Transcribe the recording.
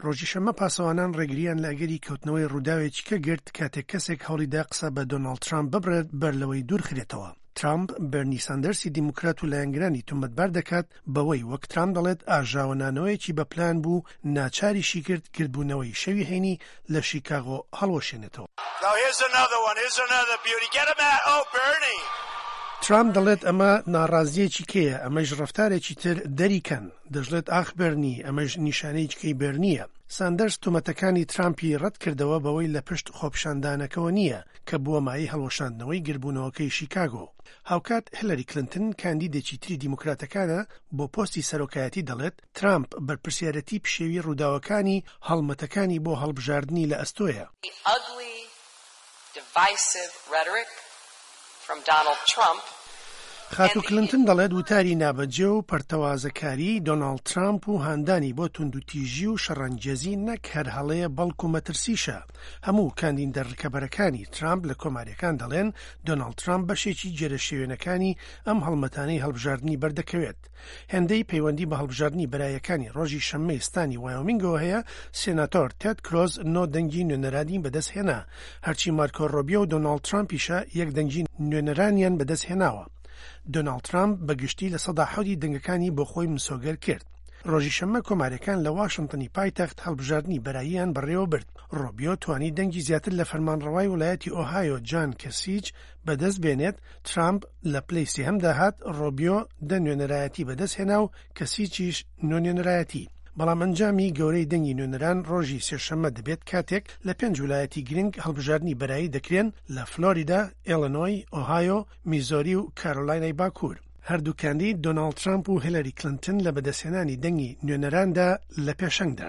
ڕۆژی شەممە پاسەوانان ڕێگرییان لە ئەگەری کەوتنەوەی ڕووداوێکی کە گرت کاتێک کەسێک هەوڵیدا قسە بە دۆناڵد ترامپ ببڕێت بەر لەوەی دوورخرێتەوە. ترامپ بێرنی ساندەرسی دیموکرات و لایەنگرانی تۆمەتبار دەکات بەوەی وەک ترامپ دەڵێت ئاژاوەنانەوەیەکی بە پلان بوو ناچاریشی کرد گردبوونەوەی شەوی هەینی لە شیکاغۆ هەڵوەشێنێتەوە. ترامپ دەڵێت ئەمە ناڕازییەکی کێیە، ئەمەیش ڕەفتارێکی تر دەریکەن. دەشڵێت ئاخ بێرنی، ئەمەیش نیشانەیەکی کەی بێرنییە. ساندەرس تۆمەتەکانی ترامپی ڕەتکردەوە بەوەی لە پشت خۆپیشاندانەکەوە نییە کە بووە مایەی هەڵوەشاندنەوەی گردبوونەوەکەی شیکاگۆ. هاوکات هیلاری کلنتن کاندیدێکی تری دیموکراتەکانە بۆ پۆستی سەرۆکایەتی دەڵێت ترامپ بەرپرسیارەتی پشێوی ڕووداوەکانی هەڵمەتەکانی بۆ هەڵبژاردنی لە ئەستۆیە. خاتوو کلنتن دەڵێت وتاری نابەجێ و پەرتەوازەکاریی دۆناڵد ترامپ و هاندانی بۆ توندوتیژی و شەڕانگێزی نەک هەر هەڵەیە بەڵکو مەترسیشە. هەموو کاندیدە ڕکەبەرەکانی ترامپ لە کۆمارییەکان دەڵێن دۆناڵد ترامپ بەشێکی گێرەشێوێنەکانی ئەم هەڵمەتانەی هەڵبژاردنی بەردەکەوێت. هێندەی پەیوەندی بە هەڵبژاردنی بەرایەکانی ڕۆژی شەممەی ستانی وایۆمینگەوە هەیە، سێناتۆر تێد کرۆز نۆ دەنگی نوێنەرانی بەدەستهێنا، هەرچی مارکۆ ڕۆبیۆ و دۆناڵد ترامپیشە یەک دەنگی نوێنەرانیان بەدەستهێناوە. دۆناڵد ترامپ بە گشتی 7% دەنگەکانی بۆ خۆی مسۆگەر کرد. ڕۆژی شەممە کۆمارییەکان لە واشنتنی پایتەخت هەڵبژاردنی بەراییان بەڕێوەبرد. ڕۆبیۆ توانی دەنگی زیاتر لە فەرمانڕەوای ولایەتی ئۆهایۆ جان کەسیچ بەدەست بێنێت، ترامپ لە پلەی سێهەمدا هات، ڕۆبیۆ دە نوێنەرایەتی بەدەستهێنا و کەسیچیش نۆ نوێنەرایەتی. بەڵام ئەنجامی گەورەی دەنگی نوێنەران ڕۆژی سێشەممە دەبێت کاتێک لە پێنج ولایەتی گرنگ هەڵبژاردنی بەرایی دەکرێن لە فلۆریدا، ئێڵنۆی، ئۆهایۆ، میزۆری و کارۆلاینای باکوور. هەردوو کاندید دۆناڵد ترامپ و هیلاری کلنتن لە بەدەستهێنانی دەنگی نوێنەراندا لە پێشەنگدان.